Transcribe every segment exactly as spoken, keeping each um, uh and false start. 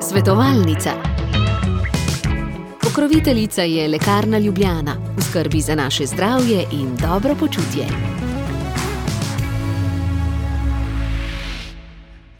Svetovalnica. Pokroviteljica je Lekarna Ljubljana, v skrbi za naše zdravje in dobro počutje.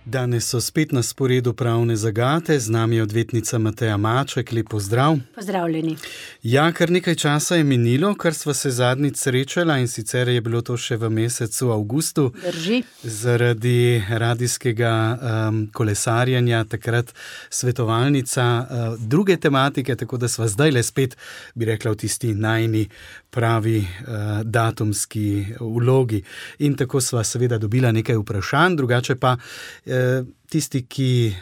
Danes so spet na sporedu pravne zagate, z nami je odvetnica Mateja Maček, lep pozdrav. Pozdravljeni. Ja, kar nekaj časa je minilo, kar sva se zadnjič srečala, in sicer je bilo to še v mesecu avgustu. Drži. Zaradi radijskega um, kolesarjenja, takrat svetovalnica uh, druge tematike, tako da sva zdaj le spet, bi rekla, v tisti najni pravi uh, datumski vlogi. In tako sva seveda dobila nekaj vprašanj, drugače pa uh, tisti, ki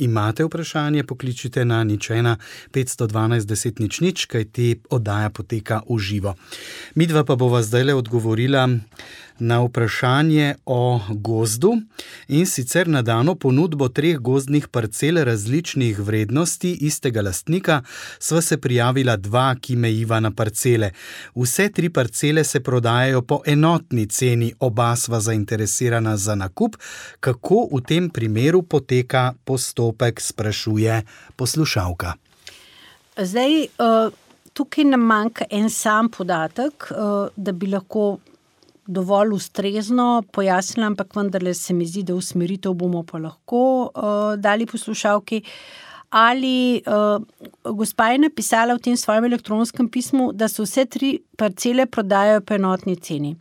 imate vprašanje, pokličite na nič ena petsto dvanajst deset nič nič, kajti oddaja poteka v živo. Midva pa bova zdajle odgovorila na vprašanje o gozdu, in sicer na dano ponudbo treh gozdnih parcel različnih vrednosti istega lastnika sva se prijavila dva, ki mejiva na parcele. Vse tri parcele se prodajajo po enotni ceni, oba sva zainteresirana za nakup. Kako v tem primeru poteka postopek, sprašuje poslušalka. Zdaj, tukaj nam manjka en sam podatek, da bi lahko dovolj ustrezno pojasnila, ampak vendarle se mi zdi, da usmeritev bomo pa lahko uh, dali poslušalki. Ali uh, gospa je napisala v tem svojem elektronskem pismu, da se vse tri parcele prodajajo po enotni ceni.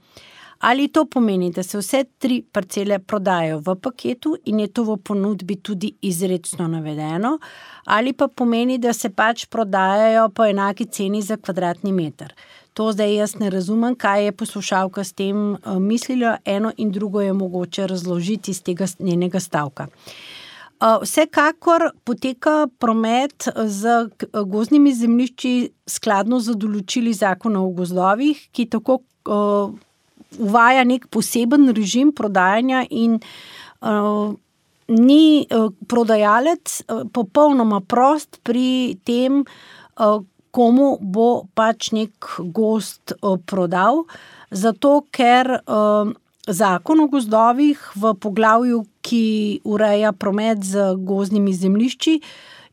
Ali to pomeni, da se vse tri parcele prodajajo v paketu in je to v ponudbi tudi izrecno navedeno, ali pa pomeni, da se pač prodajajo po enaki ceni za kvadratni meter. To zdaj jaz ne razumem, kaj je poslušalka s tem uh, mislila, eno in drugo je mogoče razložiti iz tega njenega stavka. Uh, vsekakor poteka promet z gozdnimi zemljišči skladno z določili Zakona o gozdovih, ki tako uh, uvaja nek poseben režim prodajanja in uh, ni uh, prodajalec uh, popolnoma prost pri tem, uh, komu bo pač nek gozd uh, prodal, zato ker uh, Zakon o gozdovih v poglavju, ki ureja promet z gozdnimi zemljišči,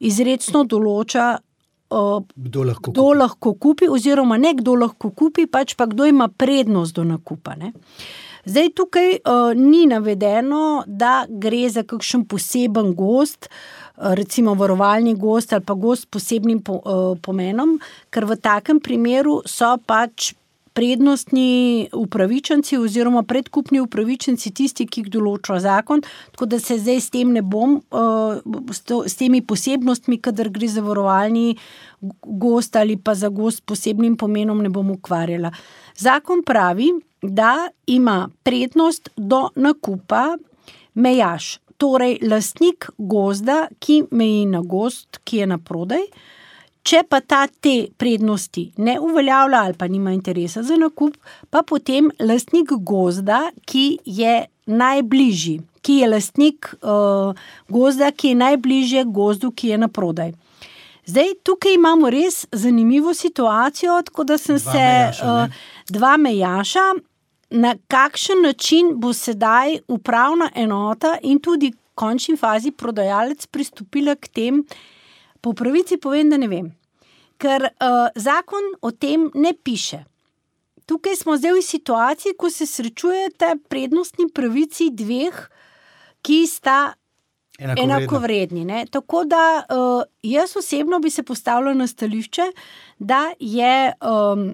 izrecno določa, uh, kdo lahko kdo kupi. lahko kupi, oziroma ne kdo lahko kupi, pač pa kdo ima prednost do nakupa. Ne? Zdaj tukaj uh, ni navedeno, da gre za kakšen poseben gozd, recimo varovalni gozd ali pa gozd s posebnim po, uh, pomenom, ker v takem primeru so pač prednostni upravičenci oziroma predkupni upravičenci tisti, ki jih določa zakon, tako da se zdaj s tem ne bom, uh, s, to, s temi posebnostmi, kadar gre za varovalni gozd ali pa za gozd s posebnim pomenom, ne bom ukvarjala. Zakon pravi, da ima prednost do nakupa mejaš, torej lastnik gozda, ki meji na gozd, ki je na prodaj. Če pa ta te prednosti ne uveljavlja ali pa nima interesa za nakup, pa potem lastnik gozda, ki je najbližji, ki je lastnik uh, gozda, ki je najbližje gozdu, ki je na prodaj. Zdaj, tukaj imamo res zanimivo situacijo, tako da sem dva se mejaša, uh, dva mejaša, na kakšen način bo sedaj upravna enota in tudi v končni fazi prodajalec pristopila k tem. Po pravici povem, da ne vem, ker uh, zakon o tem ne piše. Tukaj smo zdaj v situaciji, ko se srečujete prednostni pravici dveh, ki sta enakovredni. Ne? Tako da uh, jaz osebno bi se postavila na stališče, da je um,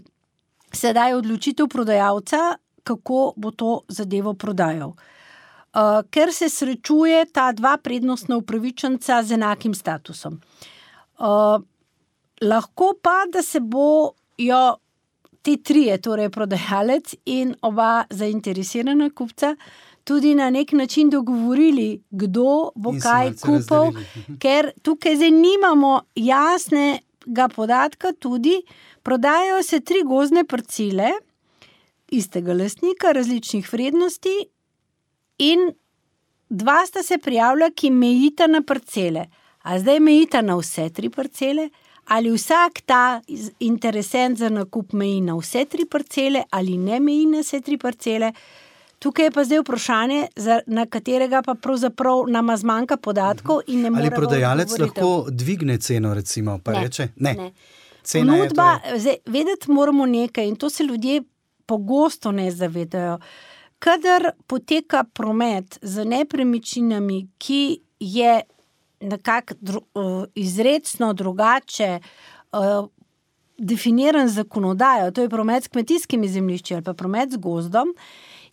sedaj odločitev prodajalca, kako bo to zadevo prodajal. Uh, ker se srečuje ta dva prednostna upravičenca z enakim statusom. Uh, lahko pa, da se bojo te trije, torej prodajalec in oba zainteresirana kupca, tudi na nek način dogovorili, kdo bo in kaj kupil, ker tukaj zdaj nimamo jasnega podatka, tudi prodajajo se tri gozdne parcele istega lastnika, različnih vrednosti, in dva sta se prijavila, ki mejita na parcele. A zdaj mejita na vse tri parcele, ali vsak ta interesent za nakup meji na vse tri parcele, ali ne meji na vse tri parcele. Tukaj je pa zdaj vprašanje, na katerega pa pravzaprav nama zmanjka podatkov in ne more. Ali prodajalec lahko dvigne ceno, recimo, pa ne, reče? Ne. ne. Cena Ponudba, je to je... zdaj, vedeti moramo nekaj in to se ljudje pogosto ne zavedajo. Kadar poteka promet z nepremičninami, ki je nekako dru, izrecno drugače uh, definiran zakonodajo, to je promet s kmetijskimi zemljišči ali pa promet z gozdom,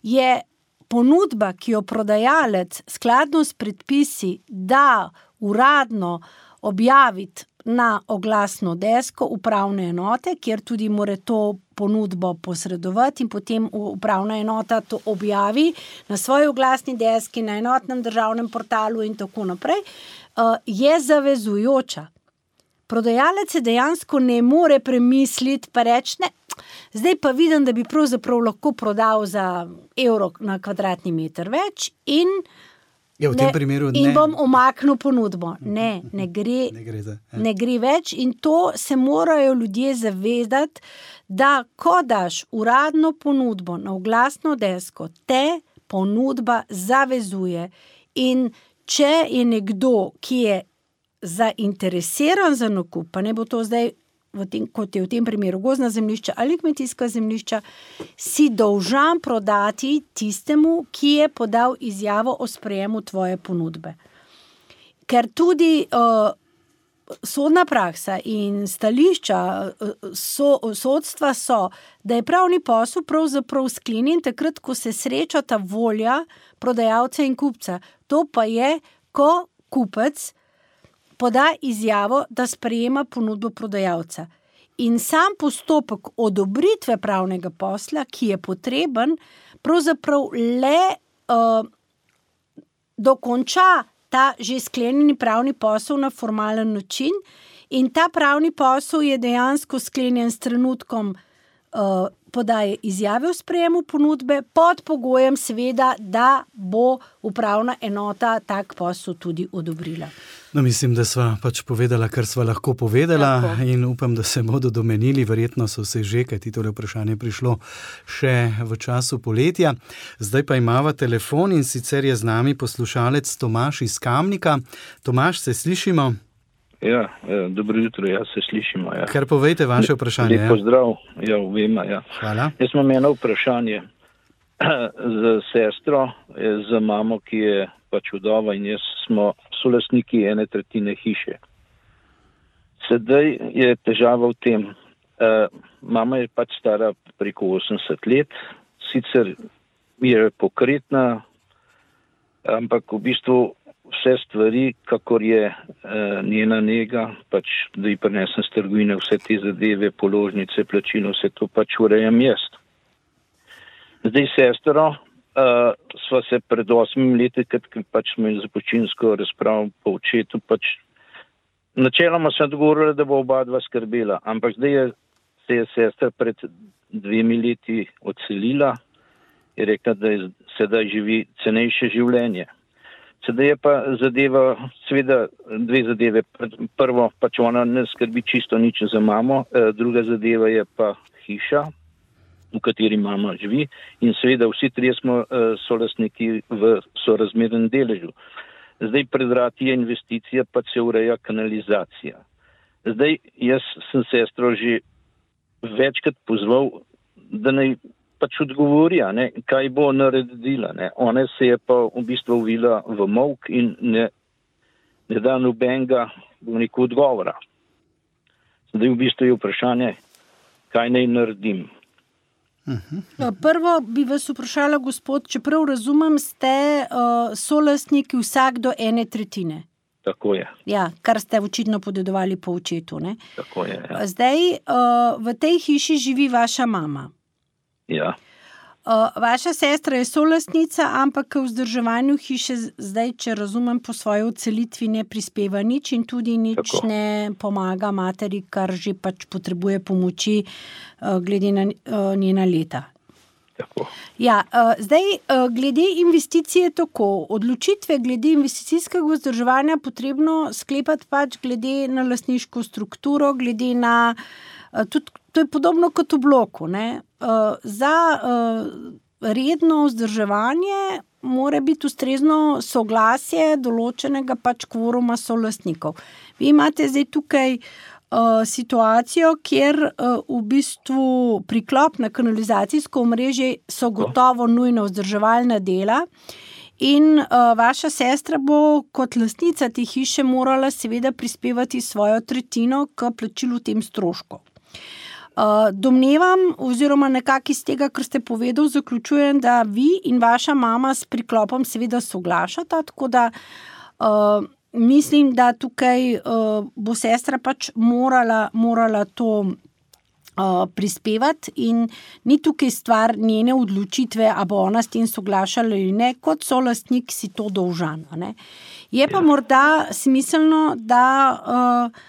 je ponudba, ki jo prodajalec skladno s predpisi da uradno objaviti na oglasno desko upravne enote, kjer tudi more to ponudbo posredovati in potem upravna enota to objavi na svoji oglasni deski, na enotnem državnem portalu in tako naprej, je zavezujoča. Prodajalec se dejansko ne more premisliti pa reči, ne, zdaj pa vidim, da bi pravzaprav lahko prodal za evro na kvadratni meter več in, ja, v tem ne, primeru in ne. bom omaknil ponudbo. Ne, ne gre, ne gre, za, ja. ne gre več in to se morajo ljudje zavedati, da ko daš uradno ponudbo na oglasno desko, te ponudba zavezuje in če je nekdo, ki je zainteresiran za nakup, pa ne bo to zdaj, v tem, kot je v tem primeru gozdna zemljišča ali kmetijska zemljišča, si dolžan prodati tistemu, ki je podal izjavo o sprejemu tvoje ponudbe. Ker tudi uh, sodna praksa in stališča uh, so, sodstva so, da je pravni posel pravzaprav sklenjen takrat, ko se srečata volja prodajalca in kupca. To pa je, ko kupec poda izjavo, da sprejema ponudbo prodajalca. In sam postopek odobritve pravnega posla, ki je potreben, pravzaprav le uh, dokonča ta že sklenjeni pravni posel na formalen način in ta pravni posel je dejansko sklenjen s trenutkom uh, podaje izjave o sprejemu ponudbe pod pogojem seveda, da bo upravna enota tak posel tudi odobrila. No, mislim, da sva pač povedala, kar sva lahko povedala lahko. In upam, da se bodo domenili, verjetno so se že, kajti tole vprašanje prišlo še v času poletja. Zdaj pa imava telefon in sicer je z nami poslušalec Tomaž iz Kamnika. Tomaž, se slišimo? Ja, dobro jutro, ja, se slišimo. Ja. Kar povejte vaše vprašanje. Lep pozdrav, ja, vema, ja. Hvala. Jaz imam eno vprašanje za sestro, za mamo, ki je pač vdova in jaz smo solastniki ene tretjine hiše. Sedaj je težava v tem, uh, mama je pač stara preko osemdeset let, sicer je pokretna, ampak v bistvu vse stvari, kakor je uh, njena nega, pač da ji prinesem z trgovine vse te zadeve, položnice, plačilo, vse to pač urejam jaz. Zdaj sestro, uh, sva se pred osmimi leti, kad pač smo imeli započinsko razpravo po očetu, pač načeloma sem dogovorila, da bo oba dva skrbela, ampak zdaj je, se je sestra pred dvemi leti odselila, je rekla, da je sedaj živi cenejše življenje. Sedaj je pa zadeva, seveda dve zadeve. Prvo, pač ona ne skrbi čisto nič za mamo, druga zadeva je pa hiša, v kateri mama živi in seveda vsi trije smo solastniki v sorazmernem deležu. Zdaj pred vrati je investicija, pa se ureja kanalizacija. Zdaj jaz sem sestro že večkrat pozval, da naj pač odgovori, ne, kaj bo naredila. Ne. Ona se je pa v bistvu uvila v molk in ne, ne da nobenega neko odgovora. Zdaj v bistvu je vprašanje, kaj naj naredim. Uh-huh. Prvo bi vas vprašala, gospod, čeprav razumem, ste uh, solastniki vsak do ene tretjine. Tako je. Ja, kar ste očitno podedovali po očetu, ne? Tako je, ja. Zdaj, uh, v tej hiši živi vaša mama. Ja. Uh, vaša sestra je solastnica, ampak k vzdrževanju hiše zdaj, če razumem, po svoji odselitvi ne prispeva nič in tudi nič Tako. ne pomaga materi, kar že pač potrebuje pomoči uh, glede na uh, njena leta. Tako. Ja, uh, zdaj, uh, glede investicije tako, odločitve glede investicijskega vzdrževanja potrebno sklepati pač glede na lastniško strukturo, glede na, uh, tudi, to je podobno kot v bloku, ne? Uh, za uh, redno vzdrževanje mora biti ustrezno soglasje določenega pač kvoruma solastnikov. Vi imate zdaj tukaj uh, situacijo, kjer uh, v bistvu priklop na kanalizacijsko omrežje so gotovo nujno vzdrževalna dela in uh, vaša sestra bo kot lastnica te hiše morala seveda prispevati svojo tretjino k plačilu tem stroškov. Uh, domnevam, oziroma nekako iz tega, kar ste povedal, zaključujem, da vi in vaša mama s priklopom seveda soglašata, tako da uh, mislim, da tukaj uh, bo sestra pač morala, morala to uh, prispevati in ni tukaj stvar njene odločitve, a bo ona s tem soglašala ali ne, kot solastnik si to dolžan. Ne? Je pa morda smiselno, da uh,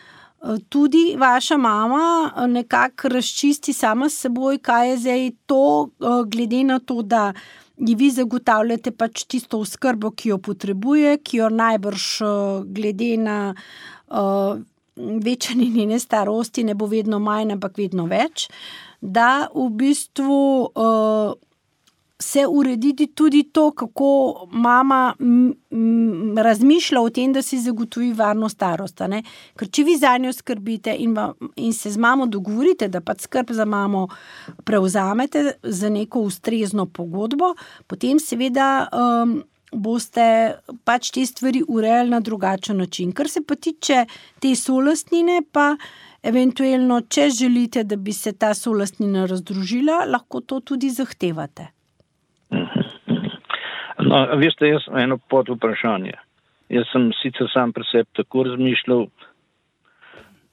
tudi vaša mama nekako razčisti sama s seboj, kaj je zdaj to, glede na to, da ji vi zagotavljate pač tisto oskrbo, ki jo potrebuje, ki jo najbrž glede na uh, večanje njene starosti ne bo vedno manj, ampak vedno več, da v bistvu uh, se urediti tudi to, kako mama m, m, razmišlja o tem, da si zagotovi varno starost. Ne? Ker če vi za njo skrbite in, va, in se z mamo dogovorite, da pač skrb za mamo prevzamete za neko ustrezno pogodbo, potem seveda um, boste pač te stvari urejali na drugačen način. Kar se pa tiče te solastnine, pa eventualno, če želite, da bi se ta solastnina razdružila, lahko to tudi zahtevate. No, veste, jaz eno pod vprašanje. Jaz sem sicer sam pri sebi tako razmišljal,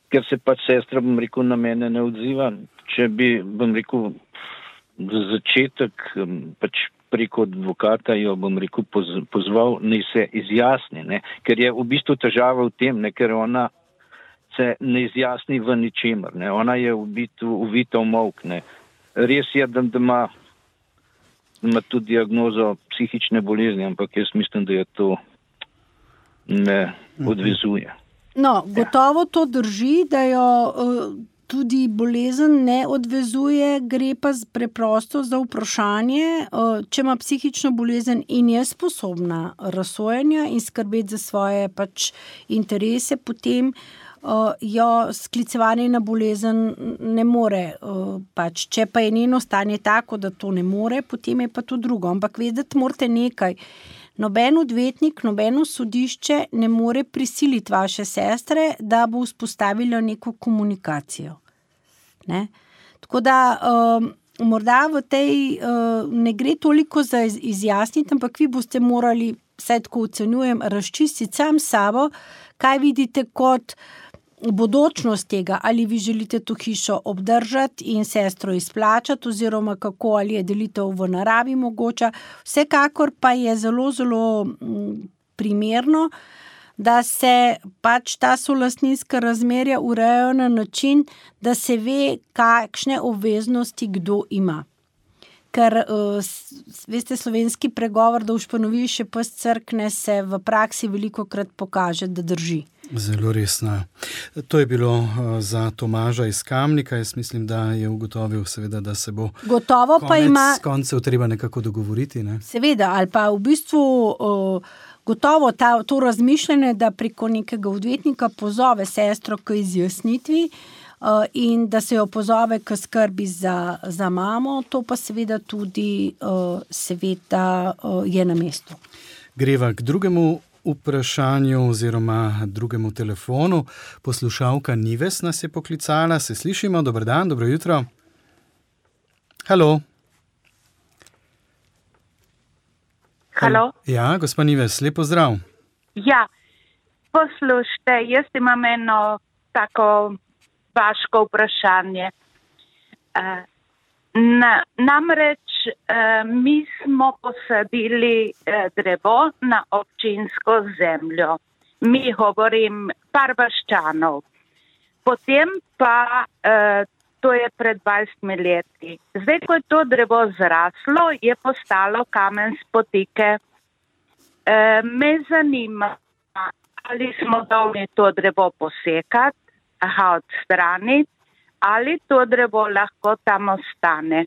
ker se pač sestra, bom rekel, na mene ne odziva. Če bi, bom rekel, za začetek pač preko advokata jo, bom rekel, pozval, naj se izjasni, ne? Ker je v bistvu težava v tem, ne? Ker ona se ne izjasni v ničemer. Ne? Ona je v bistvu uvita v molk. Ne? Res je, da, da ima ima tudi diagnozo psihične bolezni, ampak jaz mislim, da je to ne odvezuje. No, gotovo to drži, da jo uh, tudi bolezen ne odvezuje, gre pa preprosto za vprašanje, uh, če ima psihično bolezen in je sposobna razsojanja in skrbeti za svoje pač interese, potem Uh, jo sklicevanje na bolezen ne more. Uh, pač. Če pa je njeno stanje tako, da to ne more, potem je pa to drugo. Ampak vedeti morate nekaj. Noben odvetnik, nobeno sodišče ne more prisiliti vaše sestre, da bo vzpostavila neko komunikacijo. Ne? Tako da uh, morda v tej uh, ne gre toliko za izjasniti, ampak vi boste morali, vsaj tako ocenjujem, razčistiti sam sabo, kaj vidite kot bodočnost tega, ali vi želite to hišo obdržati in sestro izplačati, oziroma kako, ali je delitev v naravi mogoča. Vsekakor pa je zelo, zelo primerno, da se pač ta solastninska razmerja urejajo na način, da se ve, kakšne obveznosti kdo ima. Ker, veste, slovenski pregovor, da ušpanovi še pes crkne, se v praksi veliko krat pokaže, da drži. Zelo resno. To je bilo za Tomaža iz Kamnika. Jaz mislim, da je ugotovil seveda, da se bo Gotovo konec pa ima, koncev treba nekako dogovoriti. Ne? Seveda, ali pa v bistvu uh, gotovo ta, to razmišljanje, da preko nekega odvetnika pozove sestro k izjasnitvi uh, in da se jo pozove k skrbi za, za mamo, to pa seveda tudi uh, seveda uh, je na mestu. Greva k drugemu vprašanju oziroma drugemu telefonu. Poslušalka Nives nas je poklicala. Se slišimo? Dobar dan, dobro jutro. Halo. Halo. Ja, gospa Nives, lep pozdrav. Ja, poslušajte, jaz imam eno tako vaško vprašanje. Uh, na, namreč uh, mi smo posadili uh, drevo na občinsko zemljo. Mi govorim par vaščanov. Potem pa, uh, to je pred dvajsetimi leti. Zdaj, ko je to drevo zraslo, je postalo kamen spotike. Uh, me zanima, ali smo dolžni to drevo posekati, aha, odstraniti, ali to drevo lahko tam ostane.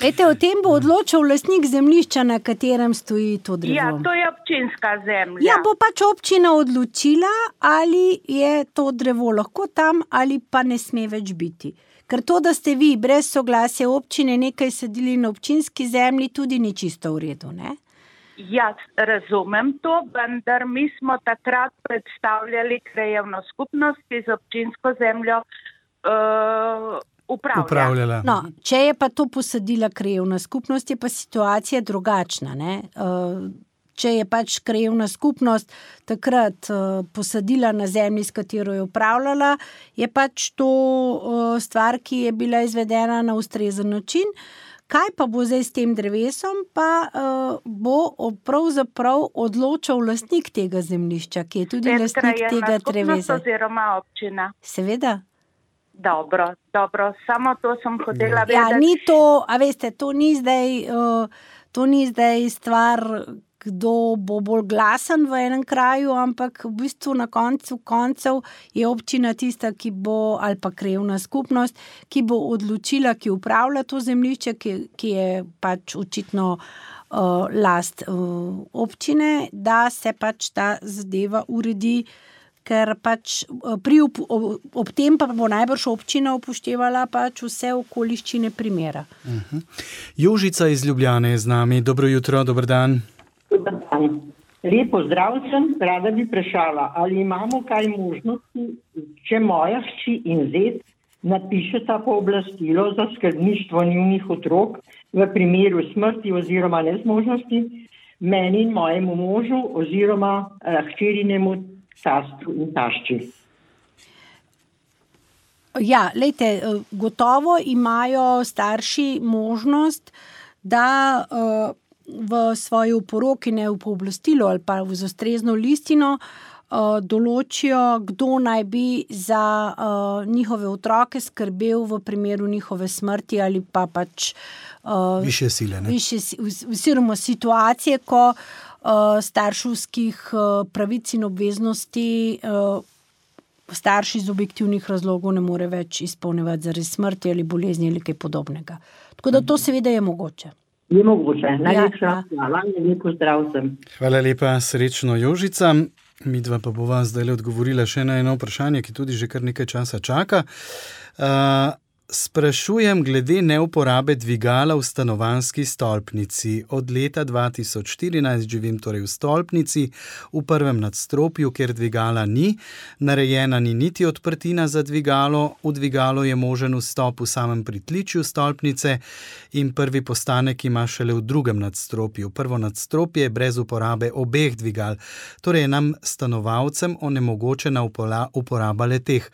Ete, o tem bo odločil lastnik zemljišča, na katerem stoji to drevo. Ja, to je občinska zemlja. Ja, bo pač občina odločila, ali je to drevo lahko tam, ali pa ne sme več biti. Ker to, da ste vi brez soglasja občine nekaj sadili na občinski zemlji, tudi ni čisto v redu, ne? Jaz razumem to, vendar mi smo takrat predstavljali krajevno skupnost, ki z občinsko zemljo uh, upravlja. Upravljala. No, če je pa to posadila krajevna skupnost, je pa situacija drugačna, ne? Če je pač krajevna skupnost takrat posadila na zemlji, s katero je upravljala, je pač to stvar, ki je bila izvedena na ustrezen način. Kaj pa bo zdaj s tem drevesom, pa bo pravzaprav odločal lastnik tega zemljišča, ki je tudi lastnik tega drevesa. Oziroma občina. Seveda. Dobro, dobro, samo to sem hotela vedeti. Ja, ni to, a veste, to ni zdaj, uh, to ni zdaj stvar, kdo bo bolj glasen v enem kraju, ampak v bistvu na koncu koncev je občina tista, ki bo, ali pa krajevna skupnost, ki bo odločila, ki upravlja to zemljišče, ki, ki je pač očitno uh, last uh, občine, da se pač ta zadeva uredi, ker pač pri, ob, ob tem pa bo najbrž občina upoštevala pač vse okoliščine primera. Uh-huh. Jožica iz Ljubljane je z nami. Dobro jutro, dober dan. Dober dan. Lepo zdrav sem, rada bi vprašala, ali imamo kaj možnosti, če moja hči in zet napišeta pooblastilo za skrbništvo njunih otrok v primeru smrti oziroma nezmožnosti meni in mojemu možu oziroma eh, hčerinemu tastru in tašči. Ja, lejte, gotovo imajo starši možnost, da uh, v svoji oporoki, ne v pooblastilo ali pa v ustrezno listino uh, določijo, kdo naj bi za uh, njihove otroke skrbel v primeru njihove smrti ali pa pač uh, više sile, ne? Više, oziroma situacije, ko Uh, starševskih uh, pravic in obveznosti uh, starši iz objektivnih razlogov ne more več izpolnjevati zaradi smrti ali bolezni ali kaj podobnega. Tako da to seveda je mogoče. Je mogoče. Najlepša ja, ja. hvala in lepo zdrav sem. Hvala lepa, srečno Jožica. Midva pa bova zdaj odgovorila še na eno vprašanje, ki tudi že kar nekaj časa čaka. Uh, Sprašujem glede neuporabe dvigala v stanovanjski stolpnici. Od leta dva tisoč štirinajst živim torej v stolpnici, v prvem nadstropju, kjer dvigala ni. Narejena ni niti odprtina za dvigalo, v dvigalo je možen vstop v samem pritličju stolpnice in prvi postanek ima šele v drugem nadstropju. Prvo nadstropje je brez uporabe obeh dvigal, torej je nam stanovalcem onemogočena uporaba le-teh.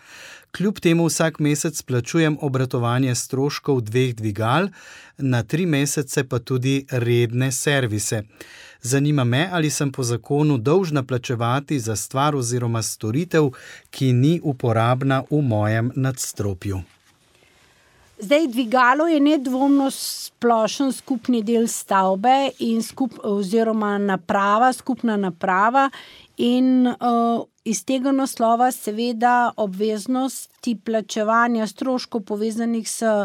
Kljub temu vsak mesec plačujem obratovanje stroškov dveh dvigal, na tri mesece pa tudi redne servise. Zanima me, ali sem po zakonu dolžna plačevati za stvar oziroma storitev, ki ni uporabna v mojem nadstropju. Zdaj, dvigalo je nedvomno splošen skupni del stavbe in skup, oziroma naprava, skupna naprava in uh, iz tega naslova seveda obveznosti plačevanja stroškov povezanih s uh,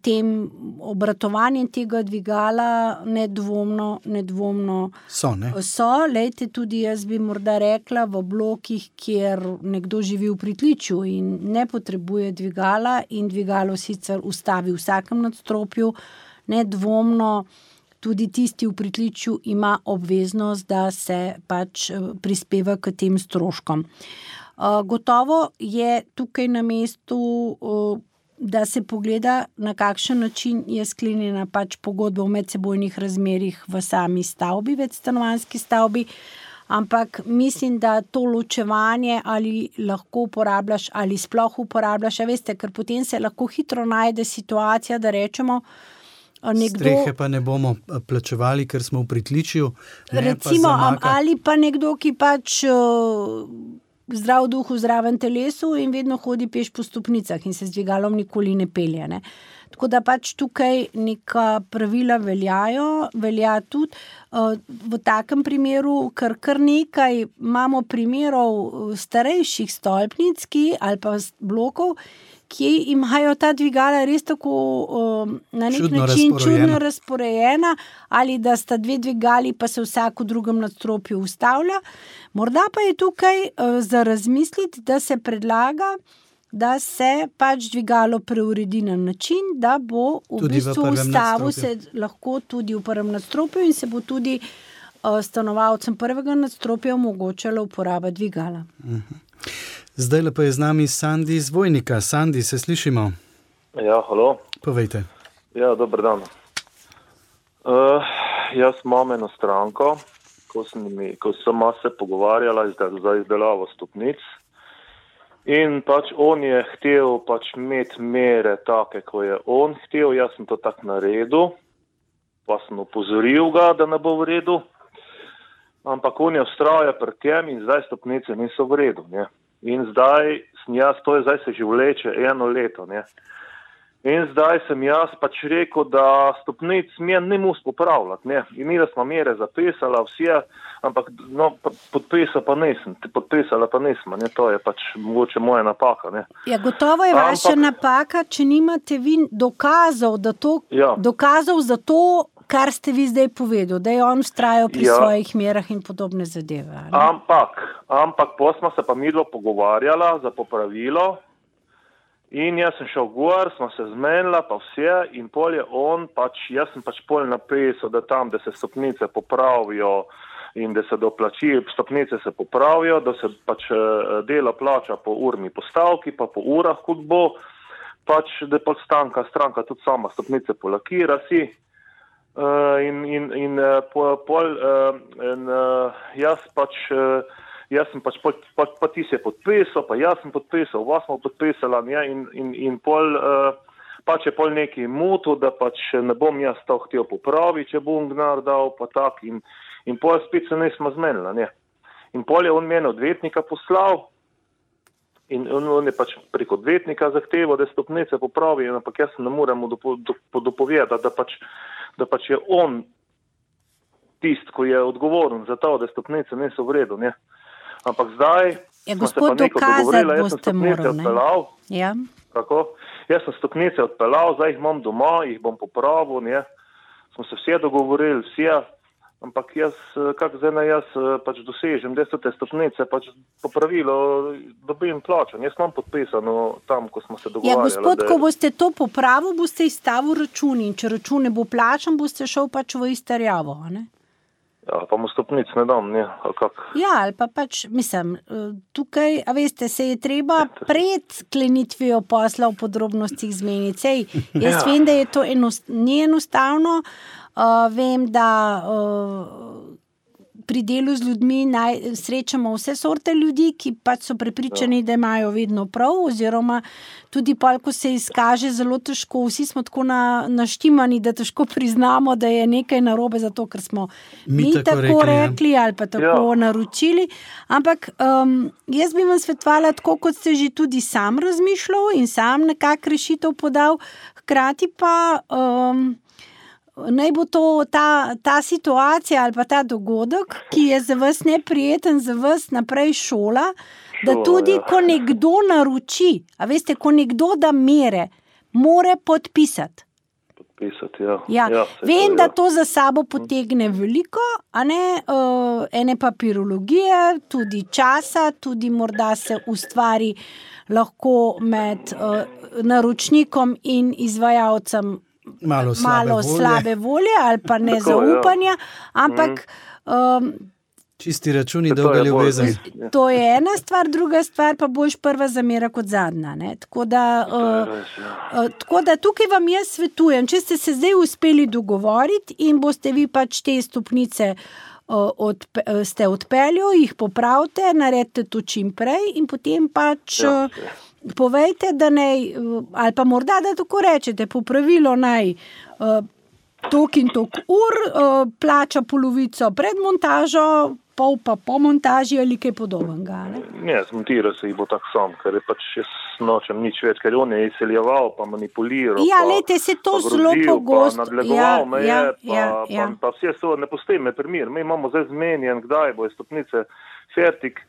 tem obratovanjem tega dvigala nedvomno, nedvomno so, ne? So, lejte, tudi jaz bi morda rekla v blokih, kjer nekdo živi v pritličju in ne potrebuje dvigala in dvigalo sicer ustavi v vsakem nadstropju, nedvomno tudi tisti v pritličju ima obveznost, da se pač prispeva k tem stroškom. Gotovo je tukaj na mestu, da se pogleda, na kakšen način je sklenjena pač pogodba v medsebojnih razmerjih v sami stavbi, večstanovanjski stavbi, ampak mislim, da to ločevanje ali lahko uporabljaš ali sploh uporabljaš, a veste, ker potem se lahko hitro najde situacija, da rečemo, nekdo, strehe pa ne bomo plačevali, ker smo v pritličju. Recimo, pa ali pa nekdo, ki pač uh, zdrav duh v zdravem telesu in vedno hodi peš po stopnicah in se z dvigalom nikoli ne pelje. Ne? Tako da pač tukaj neka pravila veljajo, velja tudi uh, v takem primeru, ker kar nekaj imamo primerov starejših stolpnic, ki, ali pa blokov, ki imajo ta dvigala res tako um, na nek Čudno način razporejena. čudno razporejena, ali da sta dve dvigali, pa se vsak v drugem nadstropju ustavlja. Morda pa je tukaj uh, za razmisliti, da se predlaga, da se pač dvigalo preuredi na način, da bo v Tudi v bistvu prvem ustavil se nadstropju. lahko tudi v prvem nadstropju in se bo tudi uh, stanovalcem prvega nadstropja omogočala uporaba dvigala. Zdaj lepo je z nami Sandi iz Vojnika. Sandi, se slišimo? Ja, halo. Povejte. Ja, dober dan. Uh, jaz imam eno stranko, ko sem, mi, ko sem se pogovarjala za, za izdelavo stopnic in pač on je htel pač imeti mere take, ko je on htel, jaz sem to tak naredil, pa sem opozoril ga, da ne bo v redu, ampak on je vztrajal pri tem in zdaj stopnice niso v redu, ne. In zdaj sem jaz, to je zdaj se že vleče eno leto, ne. In zdaj sem jaz pač rekel, da stopnic mi ne mus popravljati, ne. In mi da smo mere zapisala vse, ampak no, podpisa pa nisem, podpisala pa nisem, ne, to je pač mogoče moja napaka, ne. Ja, gotovo je vaša Ampak- napaka, če nimate vi dokazov, da to, Ja. dokazov za to, kar ste vi zdaj povedal, da je on vztrajal pri Ja. svojih merah in podobne zadeve. ali? Ampak, ampak po smo se pa midva pogovarjala za popravilo in jaz sem šel gor, smo se zmenila pa vse in pol je on pač, jaz sem pač pol napisal, da tam, da se stopnice popravijo in da se doplači, stopnice se popravijo, da se pač eh, delo plača po urni postavki, pa po urah, kot bo, pač da pol stanka, stranka tudi sama stopnice polakira si. Uh, in in, in uh, pol, pol uh, in, uh, jaz pač, uh, jaz sem pač, pa, pa, pa ti si je podpisal, pa jaz sem podpisal, vas smo podpisala, ja, in, in, in pol, uh, pač je pol neki mutu, da pač ne bom jaz to htel popraviti, če bom gnar dal, pa tak, in, in pol spet se nismo zmenila, ne. In pol je on mene odvetnika poslal, in on, on je pač preko odvetnika zahteval, da stopnice popravi, ampak jaz se ne morem dopo, dopo, dopovedati, da pač da pač je on tist, ko je odgovoren za to, da stopnice niso v redu, ne. Ampak zdaj Ja, smo se gospod, pa neko dokazati dogovorila, jaz sem boste stopnice moral, ne? odpeljal, Ja. kako? Jaz sem stopnice odpeljal, zdaj jih imam doma, jih bom popravil, ne. Smo se vse dogovorili, vse, ampak jaz, kak zdaj ne jaz pač dosežem, da so te stopnice pač popravilo, dobim plačan. Jaz imam podpisano tam, ko smo se Ja, dogovarjali. gospod, da je- ko boste to popravil, boste izstavil račun in če račun ne bo plačan, boste šel pač v izterjavo, a ne? Ja, pa mu stopnic ne dam, ne, ali kak. Ja, ali pa pač, mislim, eh, tukaj, a veste, se je treba pred sklenitvijo posla v podrobnostih zmeniti. Sej, jaz Ja. vem, da je to enost, ni enostavno, uh, vem, da uh, pri delu z ljudmi naj, srečamo vse sorte ljudi, ki pač so prepričani, da imajo vedno prav, oziroma tudi pol, ko se izkaže zelo težko, vsi smo tako na, naštimani, da težko priznamo, da je nekaj narobe, zato ker smo Mi mi tako tako rekli, ja. rekli ali pa tako Ja. naročili. Ampak um, jaz bi vam svetovala tako, kot ste že tudi sam razmišljal in sam nekak rešitev podal, hkrati pa um, naj bo to ta, ta situacija ali pa ta dogodek, ki je za vas neprijeten, za vas naprej šola, da Šola, tudi, ja. ko nekdo naroči, a veste, ko nekdo da mere, more podpisati. Podpisati, ja. Ja, ja vem, to, da ja. to za sabo potegne veliko, a ne, uh, ene papirologije, tudi časa, tudi morda se ustvari lahko med uh, naročnikom in izvajalcem Malo slabe malo volje. slabe volje ali pa Tako, ja. nezaupanja, ampak um, Čisti računi, To je dolga bolj- ljubezen. to je ena stvar, druga stvar pa boš prva zamera kot zadnja. Ne? Tako da, To je uh, res, ja. Uh, Tako da tukaj vam jaz svetujem, če ste se zdaj uspeli dogovoriti in boste vi pač te stopnice uh, odpe, uh, ste odpeljali, jih popravite, naredite to čim prej in potem pač Ja, uh, povejte, da naj, uh, ali pa morda, da tako rečete, popravilo naj uh, tok in tok ur, uh, plača polovico pred montažo, pol pa po montaži ali kaj podobnega. Ne, ne zmontiral se jih bo tak sam, ker je pač jaz nočem nič več, ker on je izseljeval, pa manipuliral. Ja, lejte, se to zelo pogosto. Pa nadlegoval ja, me je, ja, pa, ja, pa, ja. pa, pa vse so, ne postej me primir. Mi imamo zdaj zmenjen, kdaj bo je stopnice fertik.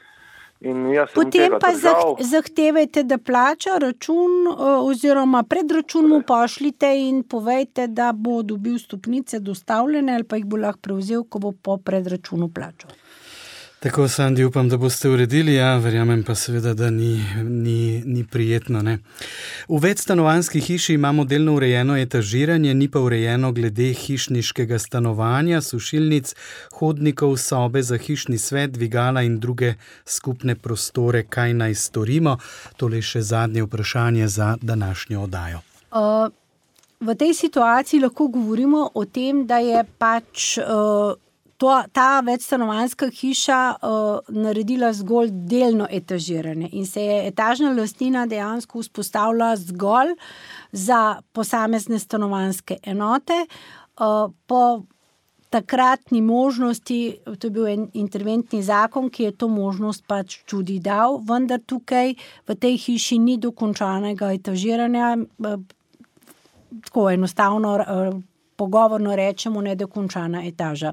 In jaz sem Potem tega pa držal. zahtevajte, da plača račun oziroma predračun mu pošljite in povejte, da bo dobil stopnice dostavljene ali pa jih bo lahko prevzel, ko bo po predračunu plačal. Tako, Sandi, upam, da boste uredili, ja, verjamem pa seveda, da ni, ni, ni prijetno, ne. V večstanovanjski hiši imamo delno urejeno etažiranje, ni pa urejeno glede hišniškega stanovanja, sušilnic, hodnikov, sobe za hišni svet, dvigala in druge skupne prostore. Kaj naj storimo? Tole je še zadnje vprašanje za današnjo oddajo. Uh, v tej situaciji lahko govorimo o tem, da je pač uh, To, ta večstanovanjska hiša uh, naredila zgolj delno etažiranje in se je etažna lastnina dejansko vzpostavila zgolj za posamezne stanovanjske enote. Uh, po takratni možnosti, to je bil en interventni zakon, ki je to možnost pač tudi dal, vendar tukaj v tej hiši ni dokončanega etažiranja, uh, tako enostavno uh, pogovorno rečemo nedokončana etaža.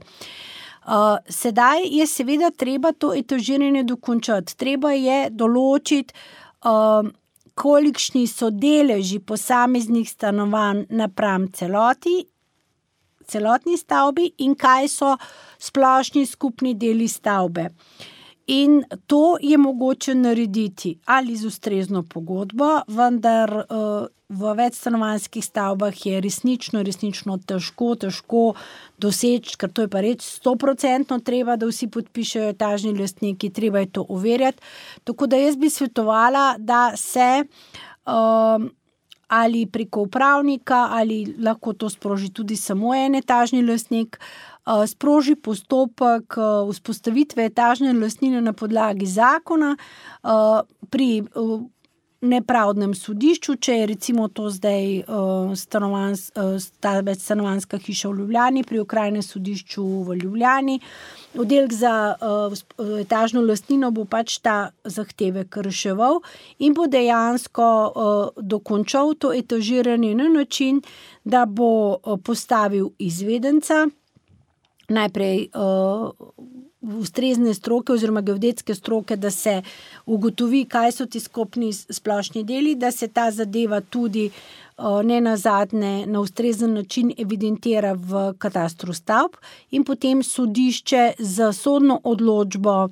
Uh, sedaj je seveda treba to etažiranje dokončati. Treba je določiti, uh, kolikšni so deleži posameznih stanovanj napram celoti, celotni stavbi in kaj so splošni skupni deli stavbe. In to je mogoče narediti ali z ustrezno pogodbo, vendar uh, v večstanovanjskih stavbah je resnično, resnično težko, težko doseči, ker to je pa reč sto procentno treba, da vsi podpišejo etažni lastniki, treba je to overjati. Tako da jaz bi svetovala, da se uh, ali preko upravnika, ali lahko to sproži tudi samo en etažni lastnik, sproži postopek vzpostavitve etažne lastnine na podlagi zakona pri nepravdnem sodišču, če je recimo to zdaj stanovanj, ta večstanovanjska hiša v Ljubljani, pri okrajnem sodišču v Ljubljani. Oddelek za etažno lastnino bo pač ta zahtevek reševal in bo dejansko dokončal to etažiranje na način, da bo postavil izvedenca, najprej uh, ustrezne stroke oziroma geodetske stroke, da se ugotovi, kaj so ti skupni splošni deli, da se ta zadeva tudi uh, ne nazadnje na ustrezen način evidentira v katastru stavb in potem sodišče z sodno odločbo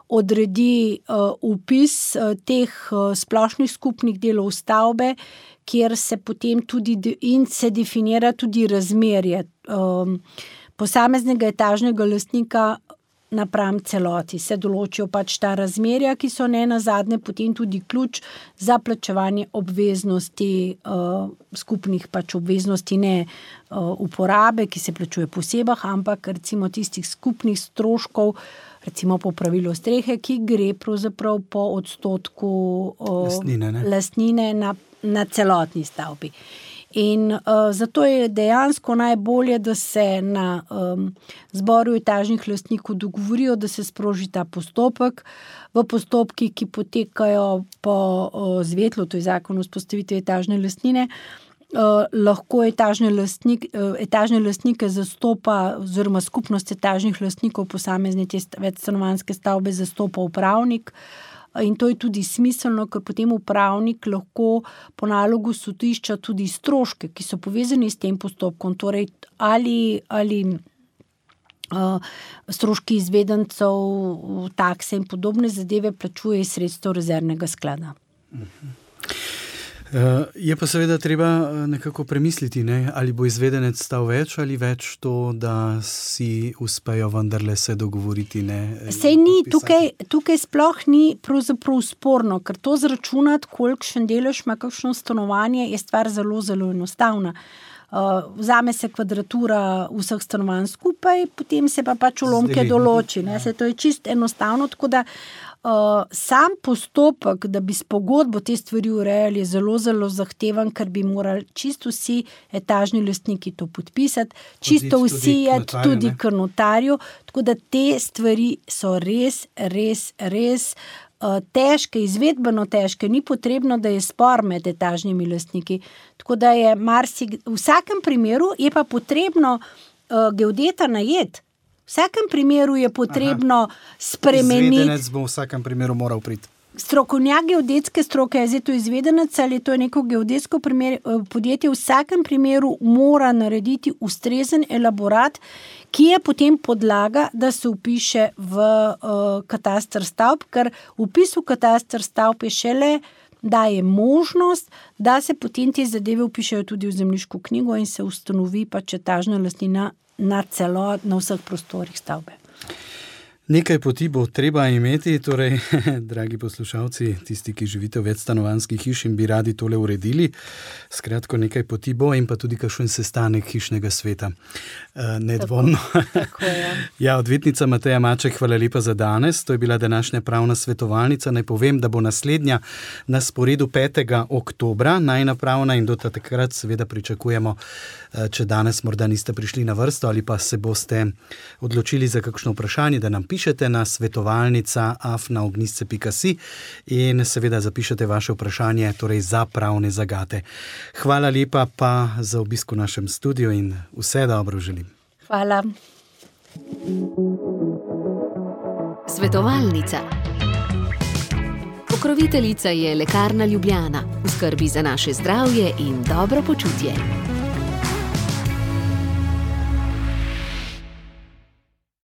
odredi uh, vpis uh, teh uh, splošnih skupnih delov stavbe, kjer se potem tudi de- in se definira tudi razmerje um, posameznega etažnega lastnika napram celoti. Se določijo pač ta razmerja, ki so ne nazadnje potem tudi ključ za plačevanje obveznosti, uh, skupnih pač obveznosti, ne uh, uporabe, ki se plačuje posebej, ampak recimo tistih skupnih stroškov, recimo po pravilu strehe, ki gre pravzaprav po odstotku uh, lastnine, ne? lastnine na, na celotni stavbi. In uh, zato je dejansko najbolje, da se na um, zboru etažnih lastnikov dogovorijo, da se sproži ta postopek. V postopkih, ki potekajo po uh, zvetlu, to je zakon o vzpostavitvi etažne lastnine, uh, lahko etažne, lastnik, uh, etažne lastnike zastopa oziroma skupnost etažnih lastnikov posamezne te večstanovanjske stavbe zastopa upravnik. In to je tudi smiselno, ker potem upravnik lahko po nalogu sodišča tudi stroške, ki so povezani s tem postopkom, torej ali, ali uh, stroški izvedencev, takse in podobne zadeve plačuje iz sredstev rezervnega sklada. Uh-huh. Je pa seveda treba nekako premisliti, ne? Ali bo izvedenec stal več ali več to, da si uspejo vendarle se dogovoriti. Ne? Sej ni, tukaj, tukaj sploh ni pravzaprav sporno, ker to zračunati, kolikšen delež ima kakšno stanovanje, je stvar zelo, zelo enostavna. uh, vzame se kvadratura vseh stanovanj skupaj, potem se pa pač ulomke določi. Ne? Se to je čist enostavno, tako da Uh, sam postopek, da bi s pogodbo te stvari urejali, je zelo, zelo zahteven, ker bi morali čisto vsi etažni lastniki to podpisati, čisto Hoditi vsi je tudi, tudi k notarju, tako da te stvari so res, res, res uh, težke, izvedbeno težke, ni potrebno, da je spor med etažnimi lastniki, tako da je marsik, v vsakem primeru je pa potrebno uh, geodeta najeti. V vsakem primeru je potrebno Aha. spremeniti. Izvedenec bo v vsakem primeru moral priti. Strokovnjak geodetske stroke, je zdaj to izvedenec ali je to neko geodetsko primer, podjetje, v vsakem primeru mora narediti ustrezen elaborat, ki je potem podlaga, da se vpiše v uh, kataster stavb, ker vpis v kataster stavb je šele daje možnost, da se potem te zadeve vpišejo tudi v zemljiško knjigo in se ustanovi pač etažna lastnina na celo, na vseh prostorih stavbe. Nekaj poti bo treba imeti, torej, dragi poslušalci, tisti, ki živite v večstanovanjskih hiš in bi radi tole uredili, skratko nekaj poti bo in pa tudi kakšen sestanek hišnega sveta. Nedvomno. Tako je. Ja, odvetnica Mateja Maček, hvala lepa za danes. To je bila današnja pravna svetovalnica. Naj povem, da bo naslednja na sporedu petega oktobra, najna pravna, in do takrat seveda pričakujemo, če danes morda niste prišli na vrsto ali pa se boste odločili za kakšno vprašanje, da nam pišete na svetovalnica afna ognjišče pika si in seveda zapišete vaše vprašanje, torej za pravne zagate. Hvala lepa pa za obisk v našem studiu in vse dobro želim. Hvala. Svetovalnica. Pokroviteljica je Lekarna Ljubljana, v skrbi za naše zdravje in dobro počutje.